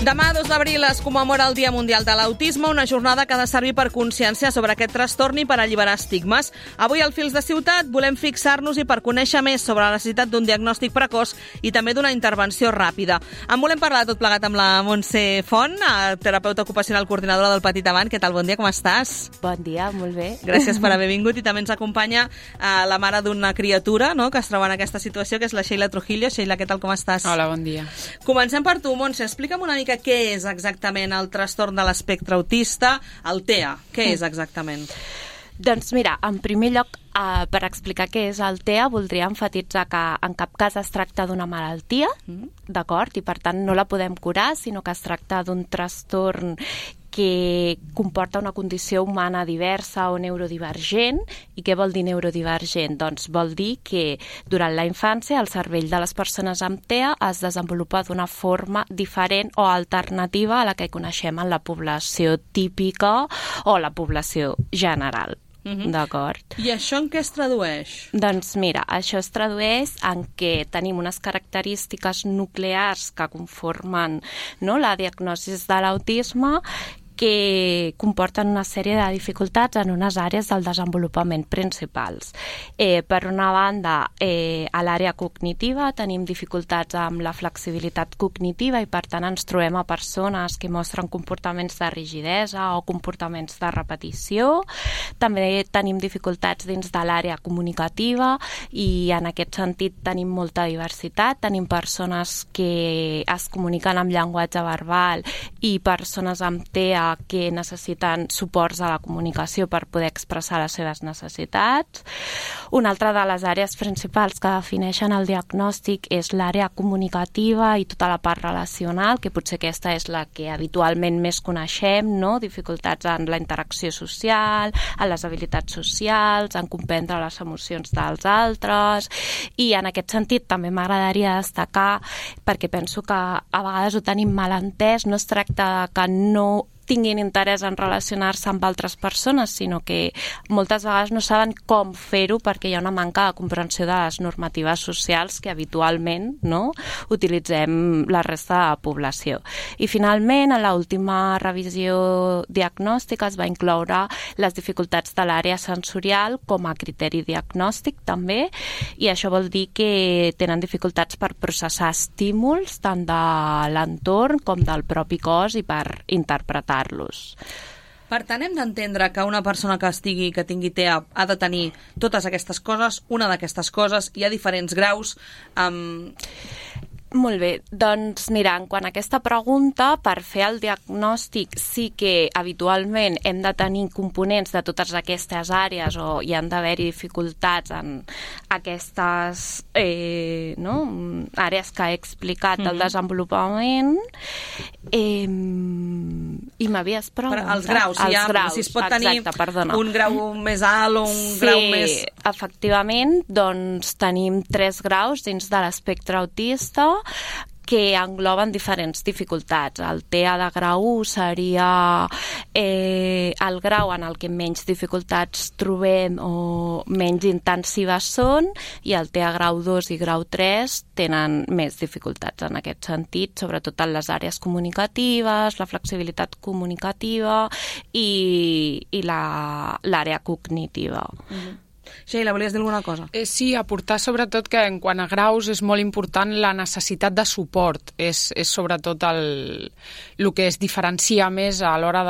Demà, 2 d'abril, es commemora el Dia Mundial de l'Autisme, una jornada que ha de servir per conscienciar sobre aquest trastorn i per alliberar estigmes. Avui, al Fils de Ciutat, volem fixar-nos i per conèixer més sobre la necessitat d'un diagnòstic precoç i també d'una intervenció ràpida. En volem parlar tot plegat amb la Montse Font, terapeuta ocupacional coordinadora del Petit Avant. Què tal? Bon dia, com estàs? Bon dia, molt bé. Gràcies per haver vingut. I també ens acompanya la mare d'una criatura, no?, que es troba en aquesta situació, que és la Sheila Trujillo. Sheila, què tal? Com estàs? Hola, bon dia. Comencem per tu, Montse. Explica'm una mica què és exactament el trastorn de l'espectre autista, el TEA. Què és exactament? Doncs mira, en primer lloc, per explicar què és el TEA, voldria emfatitzar que en cap cas es tracta d'una malaltia, d'acord? I per tant no la podem curar, sinó que es tracta d'un trastorn que comporta una condició humana diversa o neurodivergent. I què vol dir neurodivergent? Doncs vol dir que durant la infància el cervell de les persones amb TEA es desenvolupa d'una forma diferent o alternativa a la que coneixem en la població típica o la població general. D'acord. I això en què es tradueix? Doncs mira, això es tradueix en què tenim unes característiques nuclears que conformen, no, la diagnosi de l'autisme, que comporten una sèrie de dificultats en unes àrees del desenvolupament principals. Per una banda, a l'àrea cognitiva tenim dificultats amb la flexibilitat cognitiva i per tant ens trobem a persones que mostren comportaments de rigidesa o comportaments de repetició. També tenim dificultats dins de l'àrea comunicativa i en aquest sentit tenim molta diversitat. Tenim persones que es comuniquen amb llenguatge verbal i persones amb TEA que necessiten suports a la comunicació per poder expressar les seves necessitats. Una altra de les àrees principals que defineixen el diagnòstic és l'àrea comunicativa i tota la part relacional, que potser aquesta és la que habitualment més coneixem, no? Dificultats en la interacció social, en les habilitats socials, en comprendre les emocions dels altres. I en aquest sentit també m'agradaria destacar, perquè penso que a vegades ho tenim mal entès, no es tracta que no tinguin interès en relacionar-se amb altres persones, sinó que moltes vegades no saben com fer-ho perquè hi ha una manca de comprensió de les normatives socials que habitualment, no, utilitzem la resta de la població. I finalment, a l'última revisió diagnòstica es va incloure les dificultats de l'àrea sensorial com a criteri diagnòstic també, i això vol dir que tenen dificultats per processar estímuls tant de l'entorn com del propi cos i per interpretar-los. Per tant, hem d'entendre que una persona que tingui TEA ha de tenir totes aquestes coses, una d'aquestes coses, hi ha diferents graus. Molt bé, doncs mira, en quant a aquesta pregunta, per fer el diagnòstic sí que habitualment hem de tenir components de totes aquestes àrees o hi han d'haver-hi dificultats en aquestes àrees que he explicat del desenvolupament. I m'havies preguntat... Els graus, si es pot tenir un grau més alt o un grau més... Sí, efectivament, doncs tenim 3 graus dins de l'espectre autista que engloben diferents dificultats. El TEA de grau 1 seria el grau en el que menys dificultats trobem o menys intensives són, i el TEA grau 2 i grau 3 tenen més dificultats en aquest sentit, sobretot en les àrees comunicatives, la flexibilitat comunicativa i l'àrea cognitiva. Sheila, volies dir alguna cosa? Sí, aportar sobretot que en quant a graus és molt important la necessitat de suport. És sobretot el que es diferencia més a l'hora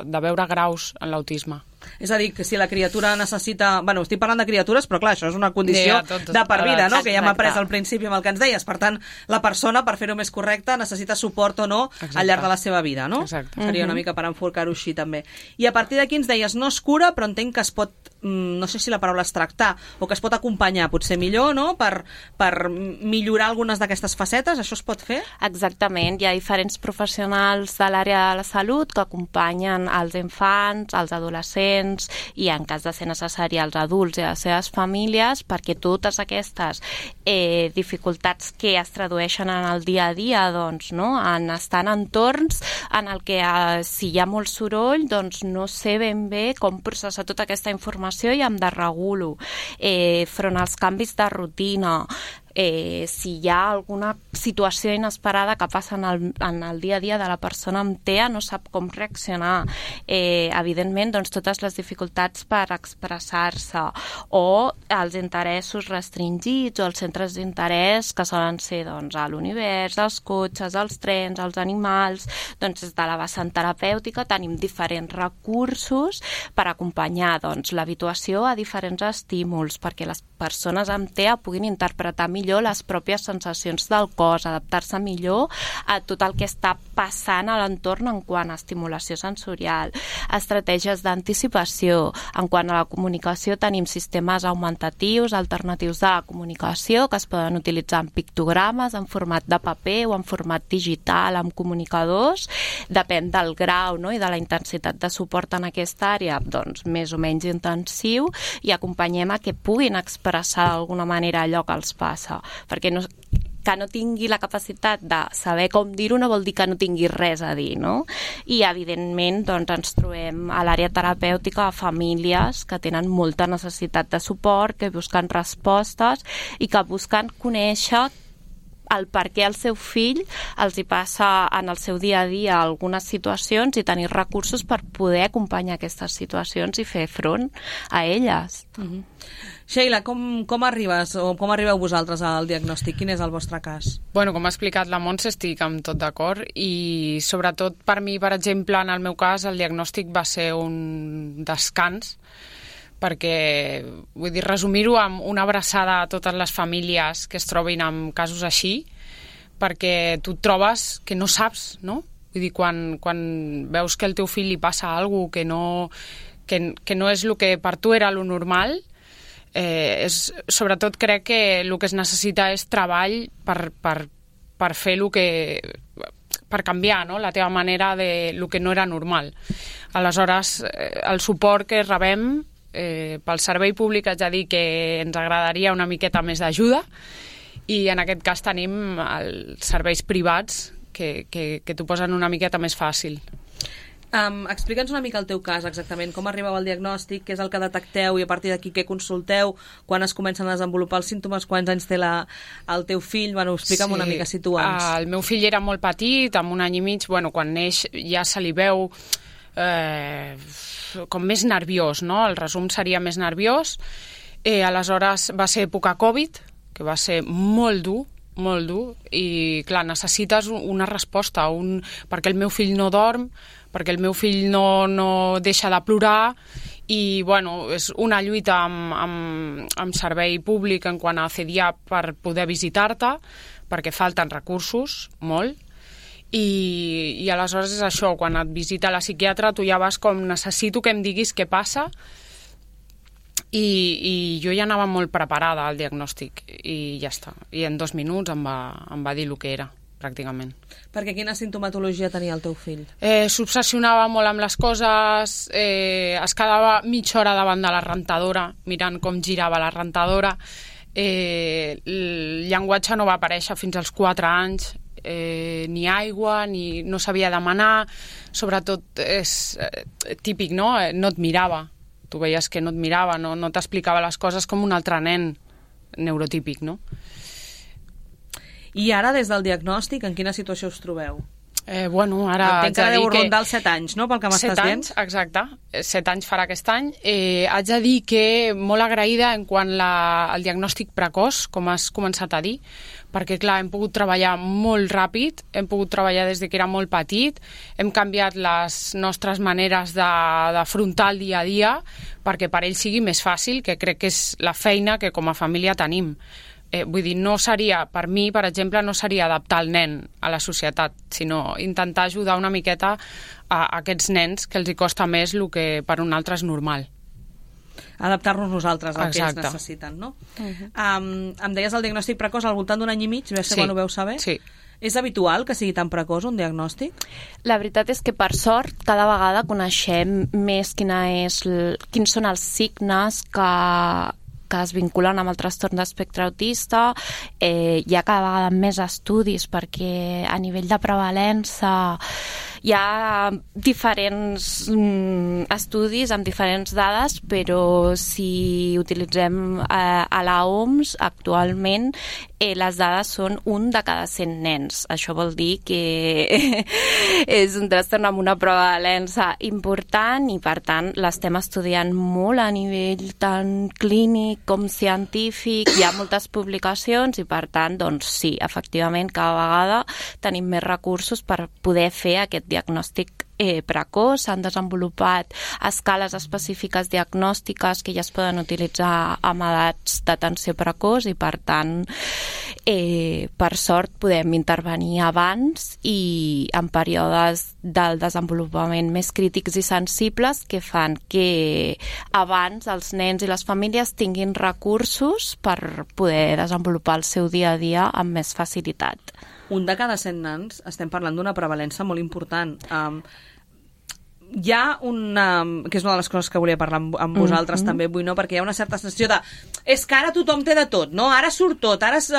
de veure graus en l'autisme. És a dir, que si la criatura necessita... Bueno, estic parlant de criatures, però clar, això és una condició de per vida, no? Que ja hem après al principi amb el que ens deies. Per tant, la persona, per fer-ho més correcte, necessita suport o no al llarg de la seva vida, no? Exacte. Seria una mica per enforcar-ho així, també. I a partir d'aquí ens deies, no es cura, però entenc que es pot, no sé si la paraula és tractar, o que es pot acompanyar, potser millor, no?, per millorar algunes d'aquestes facetes. Això es pot fer? Exactament. Hi ha diferents professionals de l'àrea de la salut que acompanyen els infants, els adolescents, i en cas de ser necessari als adults i a les seves famílies, perquè totes aquestes dificultats que es tradueixen en el dia a dia, doncs, no? Estan en entorns en el que si hi ha molt soroll, doncs no sé ben bé com processar tota aquesta informació i em desregulo. Front als canvis de rutina, Si hi ha alguna situació inesperada que passa en el dia a dia de la persona amb TEA, no sap com reaccionar. Evidentment, doncs, totes les dificultats per expressar-se o els interessos restringits o els centres d'interès que solen ser doncs, a l'univers, els cotxes, els trens, els animals. Doncs des de la vessant terapèutica tenim diferents recursos per acompanyar doncs, l'habituació a diferents estímuls perquè les persones amb TEA puguin interpretar millor les pròpies sensacions del cos, adaptar-se millor a tot el que està passant a l'entorn en quant a estimulació sensorial, estratègies d'anticipació. En quant a la comunicació tenim sistemes augmentatius, alternatius de la comunicació que es poden utilitzar en pictogrames, en format de paper o en format digital, amb comunicadors. Depèn del grau, no?, i de la intensitat de suport en aquesta àrea, doncs més o menys intensiu, i acompanyem a que puguin expressar d'alguna manera allò que els passa, perquè que no tingui la capacitat de saber com dir-ho no vol dir que no tingui res a dir, no? I, evidentment, doncs, ens trobem a l'àrea terapèutica a famílies que tenen molta necessitat de suport, que busquen respostes i que busquen conèixer el per què al seu fill els hi passa en el seu dia a dia algunes situacions i tenir recursos per poder acompanyar aquestes situacions i fer front a elles. Sheila, com arribes o com arribeu vosaltres al diagnòstic? Quin és el vostre cas? Bueno, com ha explicat la Montse, estic amb tot d'acord i sobretot per mi, per exemple, en el meu cas, el diagnòstic va ser un descans perquè, vull dir, resumir-ho amb una abraçada a totes les famílies que es trobin amb casos així, perquè tu et trobes que no saps, no? Vull dir, quan veus que al teu fill li passa alguna cosa que no és el que per tu era lo normal, sobretot crec que el que es necessita és treball per fer el que... per canviar, no?, la teva manera de lo que no era normal. Aleshores, el suport que rebem pel servei públic haig de dir que ens agradaria una miqueta més d'ajuda i en aquest cas tenim els serveis privats que t'ho posen una miqueta més fàcil. Explica'ns una mica el teu cas exactament, com arribeu al diagnòstic, què és el que detecteu i a partir d'aquí què consulteu, quan es comencen a desenvolupar els símptomes, quants anys té el teu fill, bueno, explica'm una mica, situa'ns. El meu fill era molt petit, amb 1 any i mig, bueno, quan neix ja se li veu com més nerviós, no? El resum seria més nerviós. Aleshores va ser època Covid, que va ser molt dur, i clar, necessites una resposta, perquè el meu fill no dorm, perquè el meu fill no deixa de plorar, i bueno, és una lluita amb servei públic en quant a CDIA per poder visitar-te, perquè falten recursos, molt, i aleshores és això, quan et visita la psiquiatra tu ja vas com, necessito que em diguis què passa, i jo ja anava molt preparada al diagnòstic i ja està, i en 2 minuts em va dir el que era, pràcticament. Perquè quina sintomatologia tenia el teu fill? S'obsessionava molt amb les coses, es quedava mitja hora davant de la rentadora mirant com girava la rentadora, el llenguatge no va aparèixer fins als 4 anys, ni aigua, ni no sabia demanar, sobretot és típic, no? No et mirava, tu veies que no et mirava, no t'explicava les coses com un altre nen neurotípic, no? I ara, des del diagnòstic, en quina situació us trobeu? Bueno, ara entenc que deu rondar els 7 anys, no?, pel que m'estàs dient. 7 anys, exacte. 7 anys farà aquest any. Haig de dir que molt agraïda en quant al diagnòstic precoç, com has començat a dir, perquè, clar, hem pogut treballar molt ràpid, hem pogut treballar des que era molt petit, hem canviat les nostres maneres d'afrontar el dia a dia perquè per ell sigui més fàcil, que crec que és la feina que com a família tenim. Vull dir, no seria, per mi, per exemple, no seria adaptar el nen a la societat, sinó intentar ajudar una miqueta a aquests nens que els hi costa més el que per un altre és normal. Adaptar-nos nosaltres al Exacte. Que ells necessiten, no? Em deies el diagnòstic precoç al voltant d'1 any i mig, Sí. quan ho veus saber? Sí. És habitual que sigui tan precoç un diagnòstic? La veritat és que, per sort, cada vegada coneixem més quins són els signes que es vinculen amb el trastorn d'espectre autista. Hi ha cada vegada més estudis perquè a nivell de prevalença hi ha diferents estudis amb diferents dades, però si utilitzem a la OMS actualment les dades són 1 de cada 100 nens. Això vol dir que és un trastorn amb una prevalença important i, per tant, l'estem estudiant molt a nivell tant clínic com científic. Hi ha moltes publicacions i, per tant, doncs sí, efectivament, cada vegada tenim més recursos per poder fer aquest diagnòstic precoç. S'han desenvolupat escales específiques diagnòstiques que ja es poden utilitzar amb edats d'atenció precoç i, per tant, per sort podem intervenir abans i en períodes del desenvolupament més crítics i sensibles que fan que abans els nens i les famílies tinguin recursos per poder desenvolupar el seu dia a dia amb més facilitat. 1 de cada 100 nens, estem parlant d'una prevalença molt important. Hi ha que és una de les coses que volia parlar amb vosaltres també avui, no? Perquè hi ha una certa sensació de és que ara tothom té de tot, no? Ara surt tot, ara es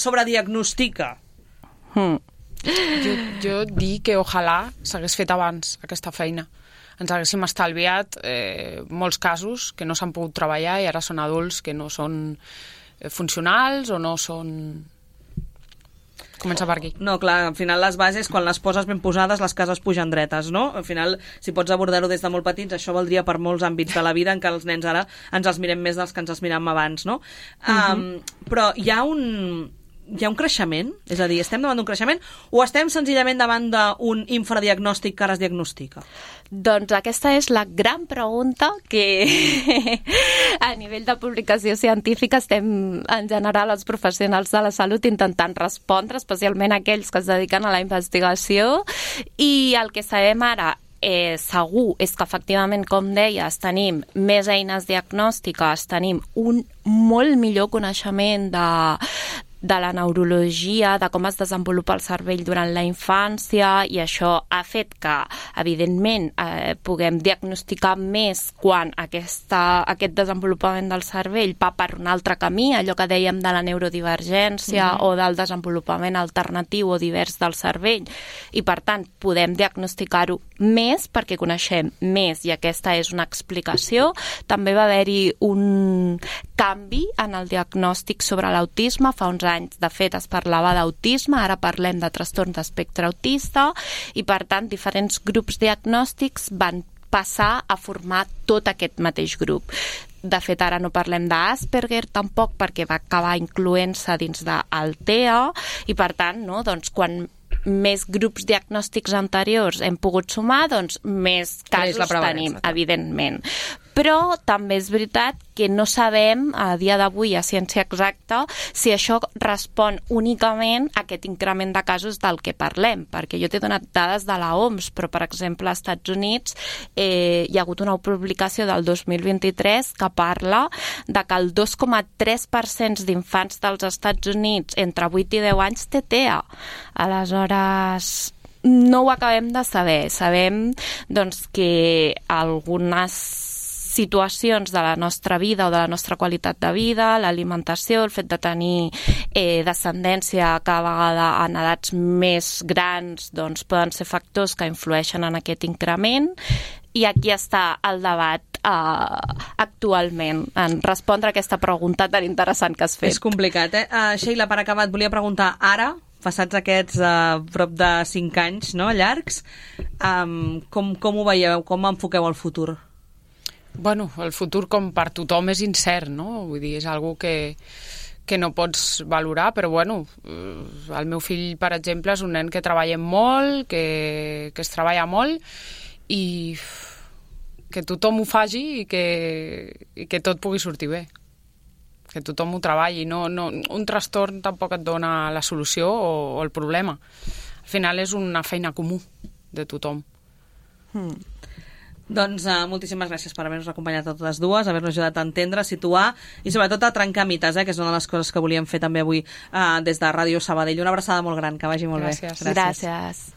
sobrediagnostica. Jo dic que ojalà s'hagués fet abans aquesta feina. Ens haguéssim estalviat molts casos que no s'han pogut treballar i ara són adults que no són funcionals o no són... Comença per aquí. No, clar, al final les bases, quan les poses ben posades, les cases pugen dretes, no? Al final, si pots abordar-ho des de molt petits, això valdria per molts àmbits de la vida en què els nens ara ens els mirem més dels que ens els miràvem abans, no? Però hi ha un creixement? És a dir, estem davant d'un creixement o estem senzillament davant d'un infradiagnòstic que ara es diagnostica? Doncs aquesta és la gran pregunta que a nivell de publicació científica estem en general els professionals de la salut intentant respondre, especialment aquells que es dediquen a la investigació, i el que sabem ara segur és que efectivament, com deies, tenim més eines diagnòstiques, tenim un molt millor coneixement de la neurologia, de com es desenvolupa el cervell durant la infància, i això ha fet que, evidentment, puguem diagnosticar més quan aquest desenvolupament del cervell va per un altre camí, allò que dèiem de la neurodivergència o del desenvolupament alternatiu o divers del cervell, i per tant podem diagnosticar-ho més perquè coneixem més, i aquesta és una explicació. També va haver-hi un canvi en el diagnòstic sobre l'autisme. Fa uns anys, de fet, es parlava d'autisme, ara parlem de trastorn d'espectre autista, i per tant diferents grups diagnòstics van passar a formar tot aquest mateix grup. De fet, ara no parlem d'Asperger tampoc, perquè va acabar incloent-se dins del TEA, i per tant, no, doncs, quan més grups diagnòstics anteriors hem pogut sumar, doncs més casos tenim, evidentment. Però també és veritat que no sabem a dia d'avui a ciència exacta si això respon únicament a aquest increment de casos del que parlem, perquè jo t'he donat dades de la OMS, però per exemple als Estats Units hi ha hagut una publicació del 2023 que parla de que el 2,3% d'infants dels Estats Units entre 8 i 10 anys té TEA. Aleshores, no ho acabem de saber. Sabem doncs, que algunes situacions de la nostra vida o de la nostra qualitat de vida, l'alimentació, el fet de tenir descendència cada vegada en edats més grans, doncs poden ser factors que influeixen en aquest increment, i aquí està el debat actualment en respondre a aquesta pregunta tan interessant que has fet. És complicat, Sheila, per acabar, et volia preguntar ara, passats aquests prop de 5 anys, no, llargs, com ho veieu, com enfoqueu el futur? Bueno, el futur com per tothom és incert, no? Vull dir, és algo que no pots valorar, però bueno, el meu fill, per exemple, és un nen que treballa molt, que es treballa molt, i que tothom ho faci i que tot pugui sortir bé. Que tothom ho treballi. No, un trastorn tampoc et dona la solució o el problema. Al final és una feina comú de tothom. Doncs moltíssimes gràcies per haver-nos acompanyat a totes dues, haver-nos ajudat a entendre, a situar i sobretot a trencar mites, que és una de les coses que volíem fer també avui des de Ràdio Sabadell. Una abraçada molt gran, que vagi molt bé. Gràcies. Gràcies.